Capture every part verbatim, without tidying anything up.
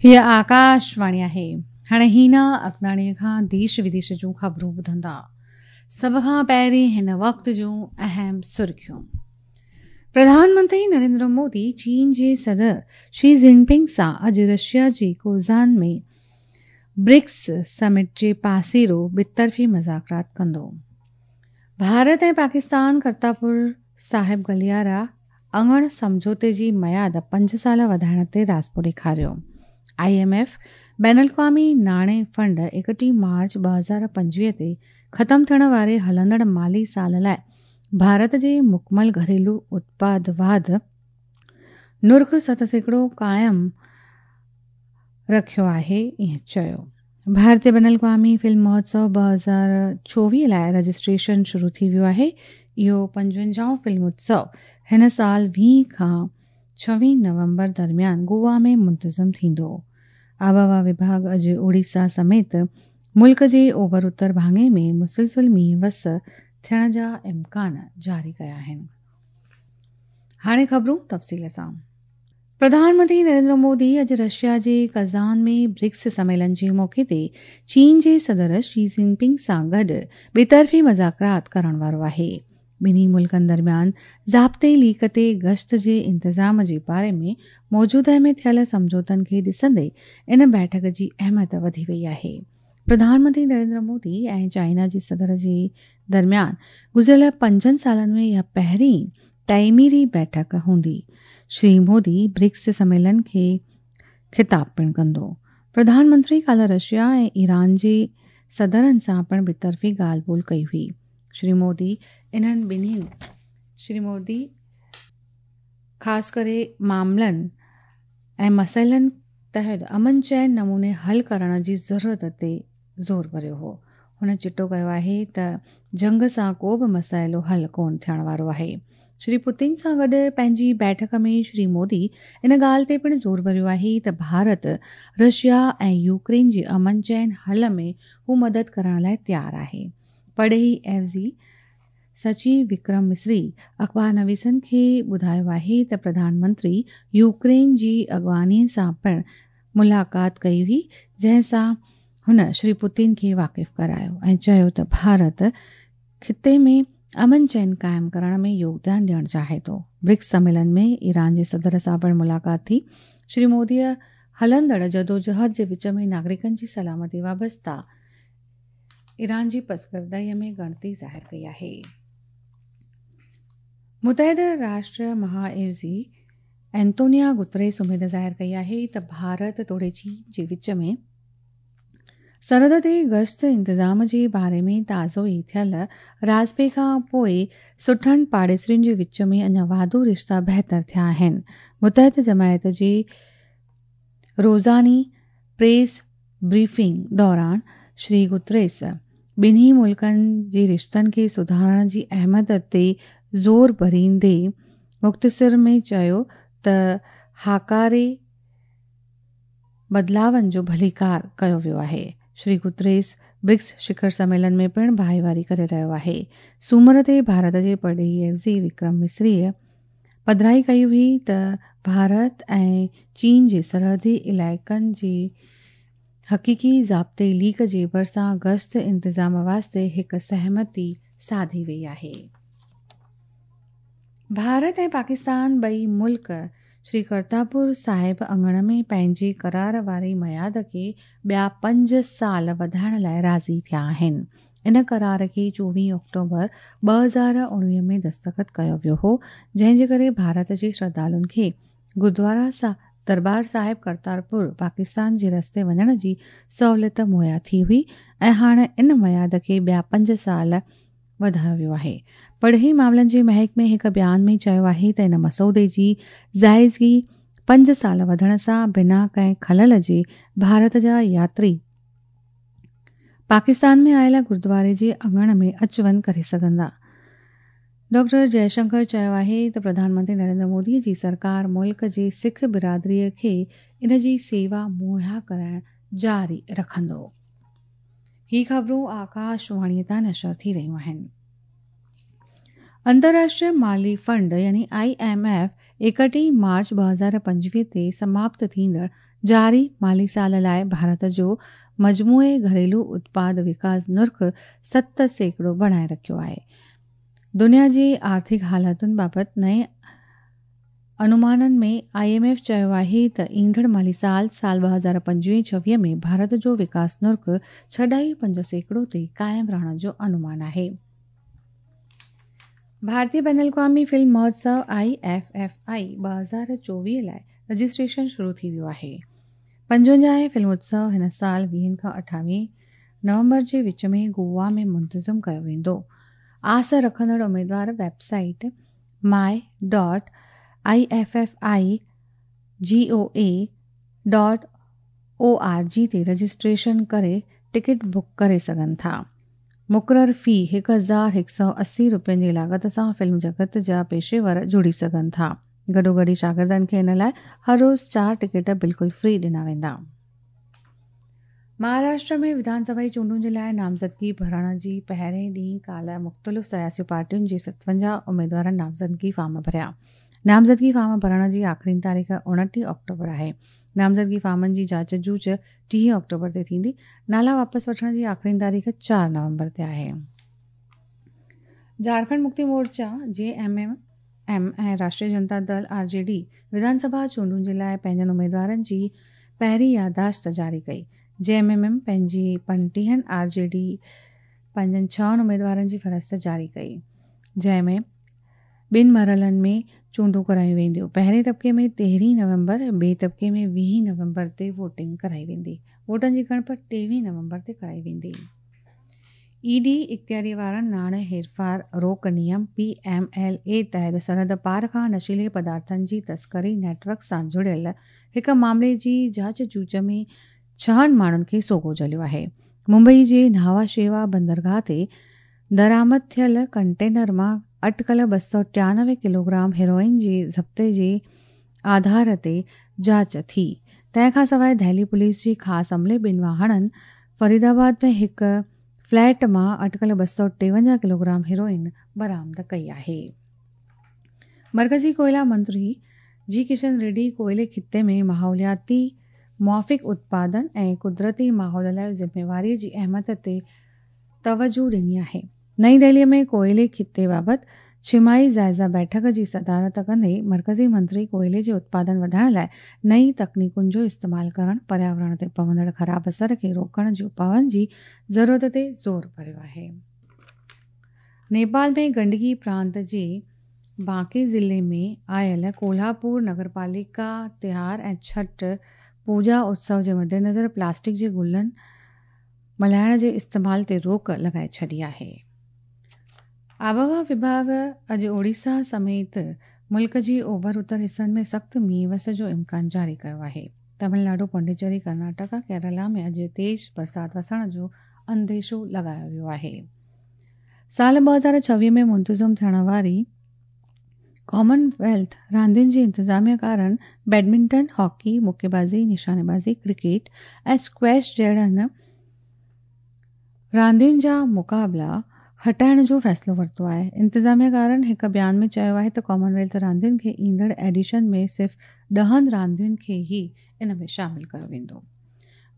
هيء آڪاشواڻي آهي. هاڻي هينا اگناڻيء کان ديش وديش جون خبرون ٻڌندا. سڀ کان پهرين هن وقت جون اهم سرخيون. پرڌان منتري نريندر مودي چين جي صدر شي جن پنگ سان اڄ رشيا جي ڪوزان ۾ برڪس سمٽ جي پاسيرو ٻطرفي مذاڪرات ڪندو. ڀارت ۽ پاڪستان ڪرتارپور صاحب گليارا اڱڻ سمجهوتي جي ميعاد پنج سال وڌائڻ تي راضپو ڏيکاريو. I M F بين الاقوامي ناڻي فنڊ ايڪٽيهه مارچ ٻه هزار پنجويهه تي ختم ٿيڻ واري هلندڙ مالي سال لاءِ ڀارت جي مڪمل گهريلو اتپاد واڌ نرخ ست سيڪڙو قائم رکيو آهي، ائين چيو. ڀارتيه بين الاقوامي فلم مهوتسو ٻه هزار چوويهه لاءِ رجسٽريشن شروع ٿي ويو آهي. اهو پنجونجاهون فلم اتسو هن سال ويهه کان ڇويهه نومبر درميان گوا ۾ منتظم ٿيندو. آبهوا وڀاڳ اڄ اوڙيسا سميت ملڪ جي اوڀر اتر ڀاڱي ۾ مسلسل مينهن وس ٿيڻ جا امڪان جاري ڪيا آهن. هاڻي خبرون تفصيل سان. پرڌان منتري نريندر مودي اڄ رشيا جي ڪزان ۾ برڪس سميلن جي موقعي تي چين جي صدر شي جن پنگ سان گڏ ٻطرفي مذاڪرات ڪرڻ وارو آهي. ٻنهي ملڪن درميان ضابطي ليڪ تي گشت جي انتظام جي باري ۾ موجوده ۾ ٿيل سمجهوتن کي ڏسندي ان بيٺڪ جي اهميت وڌي وئي آهي. پرڌان منتري نريندر مودي ۽ چائنا جي صدر جي درميان گذريل پنجن سالن ۾ اها پهرين تعميري بيٺڪ هوندي. شري مودي برڪس سميلن کي خطاب پڻ ڪندو. پرڌان منتري ڪالهه رشيا ۽ ايران جي صدرن سان پڻ ٻطرفي ڳالهه ٻولهه ڪئي هئي. شري مودي انهن ٻنهي شري مودي خاص ڪري معاملن ۽ مسئلن تحت امن چين نموني حل ڪرڻ جي ضرورت تي زور ڀريو هو. هن چٽو ڪيو آهي ته جنگ سان ڪو به مسئلو حل ڪونه ٿيڻ وارو آهي. شري پوتن سان گڏ پنهنجي بيٺڪ ۾ شري مودي ان ڳالهه تي پڻ زور ڀريو آهي ته ڀارت رشيا ۽ يوڪرين جي امن چين حل ۾ هو مدد ڪرڻ لاءِ تيار آهي. پرڏيهي عيوضي سچيو وڪرم مسري اخبار نويسن کي ٻڌايو آهي ته پرڌان منتري يوڪرين جي اڳواڻيءَ سان پڻ ملاقات ڪئي هئي، جنهن سان هن شري پوتن کي واقف ڪرايو ۽ چيو ته ڀارت خطي ۾ امن چين قائم ڪرڻ ۾ يوگدان ڏيڻ چاهي ٿو. برڪس سميلن ۾ ايران جي صدر سان پڻ ملاقات ٿي. شري موديءَ هلندڙ جدوجهد جي وچ ۾ ناگرڪن جي سلامتي وابسته ايران جي پسگردائيءَ ۾ ڳڻتي ظاهر ڪئي آهي. متحده راشٽر مهاعيوضي اينتونيا گتريس اميد ظاهر ڪئي آهي ته ڀارت توڙي چين جي وچ ۾ سرحد تي گشت انتظام جي باري ۾ تازو ئي ٿيل راضپي کان پوءِ سٺن پاڙيسرين جي وچ ۾ اڃا واڌو رشتا بهتر ٿيا آهن. متحده جماعت جي روزاني پريس بريفنگ دوران شري گتريس ٻنهي ملڪن جي رشتن کي سڌارڻ جي اهميت تي زور ڀريندي مختصر ۾ چيو ته هاڪاري بدلاون جو ڀليڪار ڪيو ويو آهي. شري گتريس برڪس شکر سميلن ۾ پڻ ڀائيواري ڪري رهيو آهي. سومر تي ڀارت جي پرڏيهي عيوضي وڪرم مسريءَ پڌرائي ڪئي هئي ته ڀارت ۽ چين جي سرحدي علائقن جي حقيقي ضابطي ليڪ جي ڀرسان گشت انتظام واسطي هڪ سهمتي ساڌي وئي آهي. ڀارت ۽ پاڪستان ٻئي ملڪ شري ڪرتارپور صاحب اڱڻ ۾ پنهنجي قرار واري ميعاد کي ٻيا پنج سال وڌائڻ لاءِ راضي ٿيا آهن. ان قرار کي چوويهه آڪٽوبر ٻه هزار اڻويهه ۾ دستخط ڪيو ويو هو، جنهن جي ڪري ڀارت جي شرڌالن کي گردوارا سا دربار صاحب ڪرتارپور پاڪستان جي رستي وڃڻ جي سهوليت مهيا ٿي هئي ۽ هاڻي ان ميعاد کي ٻيا پنج سال وڌايو ويو آهي. پرڏيهي معاملن جي محڪمي هڪ بيان ۾ چيو آهي ته ان مسودي جي جائزگي پنج سال وڌڻ سان بنا ڪنهن خلل جي ڀارت جا ياتري پاڪستان ۾ آيل گردواري جي اڱڻ ۾ اچ وڃ ڪري سگهندا. ڊاڪٽر جئشنڪر چيو آهي ته پرڌان منتري نريندر مودي جي سرڪار ملڪ جي سک برادريءَ کي ان جي سيوا مهيا ڪرائڻ جاري رکندو. هي خبرون آڪاشواڻيءَ تان نشر ٿي رهيون آهن. अंतर्राष्ट्रीय माली फंड यानी I am F एकटीह मार्च ॿ हज़ार पंजवीह ते समाप्त थींदड़ जारी माली साल लाइ भारत जो मजमूए घरेलू उत्पाद विकास नुर्ख सत सैकड़ो बणाए रखियो आहे। दुनिया जी आर्थिक हालातुनि बाबति नए अनुमाननि में I am F चयो आहे त ईंदड़ माली साल साल ॿ हज़ार पंजवीह छवीह में भारत जो विकास नुर्ख छह ॾाई पंज सैकड़ो ते क़ाइमु रहण जो अनुमान आहे। भारतीय बैन अल-अक़वामी फिल्म महोत्सव I F F I ॿ हज़ार चोवीह लाइ रजिस्ट्रेशन शुरू थी वियो आहे। पंजवंजाह फिल्म उत्सव हिन साल वीहनि खां अठावीह नवंबर जे विच में गोवा में मुंतज़िम कयो वेंदो। आस रखंदड़ उमेदवार website my dot I F F I G O A dot O R G ते रजिस्ट्रेशन करे टिकट बुक करे सघनि था। मुक़ररु फी हिकु हज़ार हिकु सौ असी रुपयनि जी लागत सां फिल्म जगत जा पेशेवर जुड़ी सघनि था। गॾोगॾु शागिर्दनि खे इन लाइ हर रोज़ चारि टिकट बिल्कुलु फ्री ॾिना वेंदा। महाराष्ट्र में विधानसभा जी चूंडुनि जे लाइ नामज़दगी भरण जी पहिरें ॾींहुं काल्ह मुख़्तलिफ़ सियासी पार्टियुनि जे सतवंजाह उमेदवारनि नामज़दगी फॉर्म भरिया। नामज़दगी फॉर्म भरण जी आख़िरी तारीख़ उणिटीह अक्टूबर आहे। नामज़दगी फॉर्मनि जी जांच जूच टीह अक्टूबर ते थींदी। नाला वापसि वठण जी आख़िरी तारीख़ चारि नवंबर ते आहे। झारखंड मुक्ति मोर्चा जे एम एम एम ऐं राष्ट्रीय Janata Dal R J D विधानसभा चूंडुनि जे लाइ पंहिंजनि उमेदवारनि जी पहिरीं यादाश्त जारी कई। जे एम एम एम पंहिंजी पंटीहनि, आर जे डी पंहिंजनि छहनि उमेदवारनि जी फ़हरिस्त जारी कई, जंहिंमें ॿिनि मरहलनि में चूंडूं करायूं वेंदियूं। पहिरें तबिके में तेरहीं नवंबर, ॿिए तबिके में वीह नवंबर ते वोटिंग कराई वेंदी। वोटनि जी ॻणप टेवीह नवंबर ते कराई वेंदी। ईडी इख़्तियारी वारनि नाणे हेरफार रोक नियम पी एम एल ए तहत सरहद पार खां नशीले पदार्थनि जी तस्करी नेटवर्क सां जुड़ियल हिकु मामले जी जांच जूच में छहनि माण्हुनि खे सोगो झलियो आहे। मुंबई जे न्हावा शेवा बंदरगाह ते दरामद थियल कंटेनर मां अटकल ॿ सौ टियानवे किलोग्राम हेरोइन जे ज़ब्ते जे आधार ते जांच थी। तंहिंखां सवाइ दिल्ली पुलिस जी ख़ासि अमले ॿिनि वाहणनि फरीदाबाद में हिकु फ्लैट मां अटकल ॿ सौ टेवंजाह किलोग्राम हेरोइन बरामद कई आहे। मरकज़ी कोयला मंत्री जी किशन रेड्डी कोयले ख़िते में माहौलियाती मुआफ़िक़ उत्पादन ऐं कुदरती माहौल लाइ ज़िम्मेवारीअ जी अहमियत ते तवजू ॾिनी आहे। नई दिल्लीअ में कोयले ख़िते बाबति छिमाही जाइज़ा बैठक जी सदारत कंदे मरकज़ी मंत्री कोयले जे उत्पादन वधाइण लाइ नई तकनीकुनि जो इस्तेमालु करणु, पर्यावरण ते पवंदड़ ख़राब असर खे रोकण जे उपाउनि जी ज़रूरत ते ज़ोर भरियो आहे। नेपाल में गंडकी प्रांत जे बांके ज़िले में आयल कोल्हापुर नगरपालिका तिहार ऐं छठ पूजा उत्सव जे मद्देनज़र प्लास्टिक जे गुलनि मल्हाइण जे इस्तेमाल ते रोक लॻाए छॾी आहे। आबहवा विभाग अॼु ओडिशा समेत मुल्क जी ओभर उत्तर हिसनि में सख़्तु मींहुं वस जो इम्कान जारी कयो आहे। तमिलनाडु, पौंडीचेरी, कर्नाटका, केरला में अॼु तेज़ बरसाति वसण जो अंदेशो लॻायो वियो आहे। साल ॿ हज़ार छवीह में मुंतज़िम थियण वारी कॉमनवेल्थ रांदियुनि जी इंतिज़ामिया कारण बैडमिंटन, हॉकी, मुक्केबाज़ी, निशानेबाज़ी, क्रिकेट ऐं स्क्वैश जहिड़नि रांदियुनि जा मुक़ाबला हटाइण जो फ़ैसिलो वरितो आहे। इंतिज़ामिया कारण हिकु बयान में चयो आहे त कॉमनवेल्थ रांदियुनि खे ईंदड़ एडिशन में सिर्फ़ ॾहनि रांदियुनि खे ई इन में शामिल कयो वेंदो।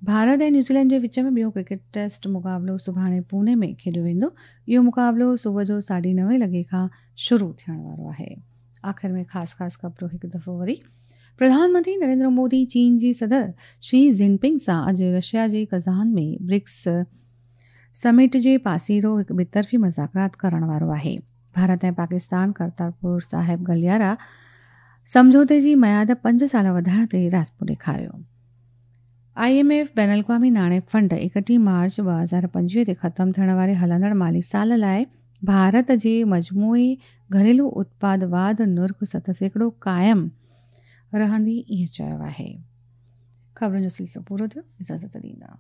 भारत ऐं न्यूज़ीलैंड जे विच में ॿियो क्रिकेट टेस्ट मुक़ाबलो सुभाणे पुणे में खेॾियो वेंदो। इहो मुक़ाबलो सुबुह जो साढे नवे लॻे खां शुरू थियण वारो आहे। आख़िर में ख़ासि ख़ासि ख़बरूं हिकु दफ़ो वरी। प्रधानमंत्री नरेंद्र मोदी चीन जी सदर शी जिनपिंग सां अॼु रशिया जे कज़ान में ब्रिक्स समिट जे पासीरो हिकु ॿितरफ़ी मुज़ाकरात करण वारो आहे। भारत ऐं पाकिस्तान करतारपुर साहिब गलियारा सम्झौते जी मयाद पंज साल वधाइण ते राज़िपो ॾेखारियो। I am F बैन अल-अक़वामी नाणे फंड एकटीह मार्च ॿ हज़ार पंजवीह ते ख़तमु थियण वारे हलंदड़ माली साल लाइ भारत जे मजमूई घरेलू उत्पाद वाध नुर्ख सत सैकड़ो क़ाइमु रहंदी ईअं चयो आहे। ख़बरुनि जो सिलसिलो पूरो थियो। इजाज़त ॾींदा।